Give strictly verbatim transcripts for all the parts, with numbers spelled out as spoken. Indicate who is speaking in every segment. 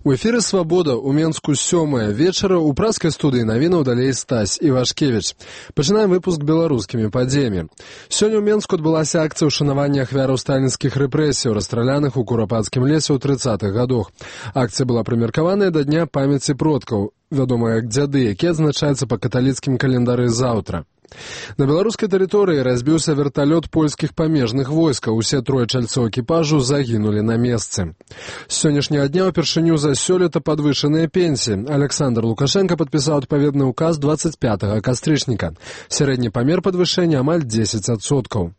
Speaker 1: У эфіры «Свабода» у Менску сёмая вечара ў праскай студыі навінаў далей Стась Івашкевіч. Пачынаем выпуск беларускімі падзеямі. Сёння ў Менску адбылася акцыя ўшанавання ахвяраў сталінскіх рэпрэсіяў, расстраляных у Курапацкім лесе ў трыццатых гадах. Акцыя была прымеркаваная да Дня памяці продкаў, вядомая як дзяды, які адзначаецца па каталіцкім календары заўтра. На беларускай тэрыторыі разбіўся верталёт польскіх памежных войскаў. Усе трое чальцоў экіпажу загінулі на месцы. З сённяшняга дня ўпершыню за сёлета падвышаныя пенсіі. Александр Лукашенко падпісаў адпаведны ўказ дваццаць пятага кастрычніка. Сярэдні памер падвышэння амаль дзесяць адсоткаў.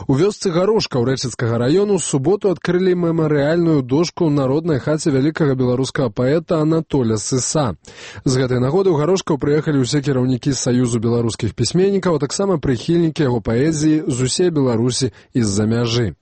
Speaker 1: У вёсцы Гарошка ў Рэчыцкага раёну ў суботу адкрылі мемарыяльную дошку ў народнай хаце вялікага беларускага паэта Анатоля Сыса. З гэтай нагоды ў Гарошкаў прыехалі ўсе кіраўнікі Саюзу беларускіх пісьменнікаў, а таксама прыхільнікі яго паэзіі з усей Беларусі і з-за мяжы.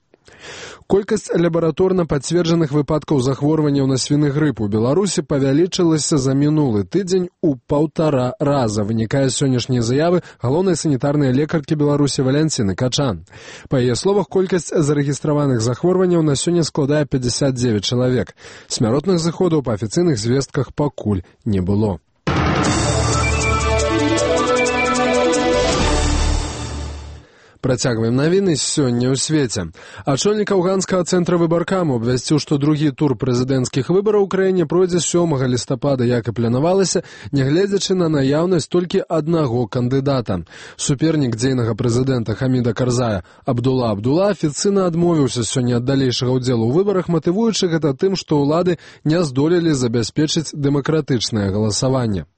Speaker 1: Колькасць лабараторна пацверджаных выпадкаў захворванняў на свіны грып у Беларусі павялічылася за мінулы тыдзень у паўтара раза, вынікае з сённяшняй заявы галоўнай санітарнай лекаркі Беларусі Валянціны Качан. Па яе словах, колькасць зарэгістраваных захворванняў на сёння складае пятьдесят девять чалавек. Смяротных зыходаў па афіцыйных звестках пакуль не было. Працягваем навіны сёння ў свеце. Ачольнік афганскага цэнтра выбаркаму абвясціў, што другі тур прэзідэнцкіх выбараў у краіне пройдзе сёмага лістапада, як і планавалася, нягледзячы на наяўнасць толькі аднаго кандыдата. Супернік дзейнага прэзідэнта Хаміда Карзая Абдула Абдула афіцыйна адмовіўся сёння ад далейшага ўдзелу ў выбарах, матывуючы гэта тым, што ўлады не здолелі забяспечыць дэмакратычнае галасаванне.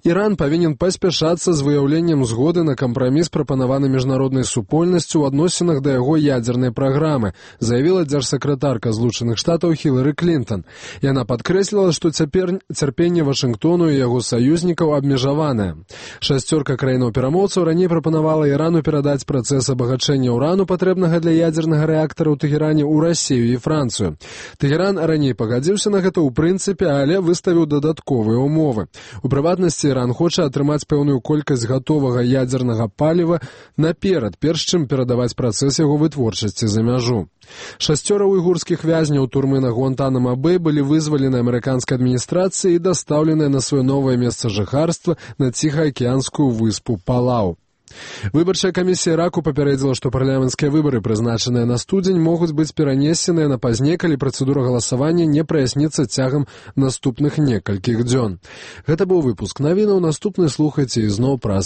Speaker 1: Іран павінен паспяшацца з выяўленнем згоды на кампраміс, прапанаваны міжнароднай супольнасцю ў адносінах да яго ядзернай праграмы, заявіла дзяржсакратарка Злучаных Штатаў Хілары Клінтон. Яна падкрэсліла, што цяпер цярпенне Вашынгтону і яго саюзнікаў абмежаванае. Шасцёрка краінаў-перамоўцаў раней прапанавала Ірану перадаць працэс абагачэння ўрану, патрэбнага для ядзернага рэактара ў Тэгеране, ў Расію і Францыю. Тэгеран раней пагадзіўся на гэта ў прынцыпе, але выставіў дадатковыя ўмовы. У прыватнасці, Іран хоча атрымаць пэўную колькасць гатовага ядзернага паліва наперад, перш чым перадаваць працэс яго вытворчасці за мяжу. Шасцёра уйгурскіх вязняў турмы на Гуантанамо-Бэй былі вызвалены амерыканскай адміністрацыяй і дастаўленыя на сваё новае месца жыхарства на ціхаакіянскую выспу Палау. Выбарчая камісія Іраку папярэдзіла, што парламенцкія выбары, прызначаныя на студзень, могуць быць перанесеныя на пазней, калі працэдура галасавання не праясніцца цягам наступных некалькіх дзён. Гэта быў выпуск навінаў, наступны слухайце ізноў праз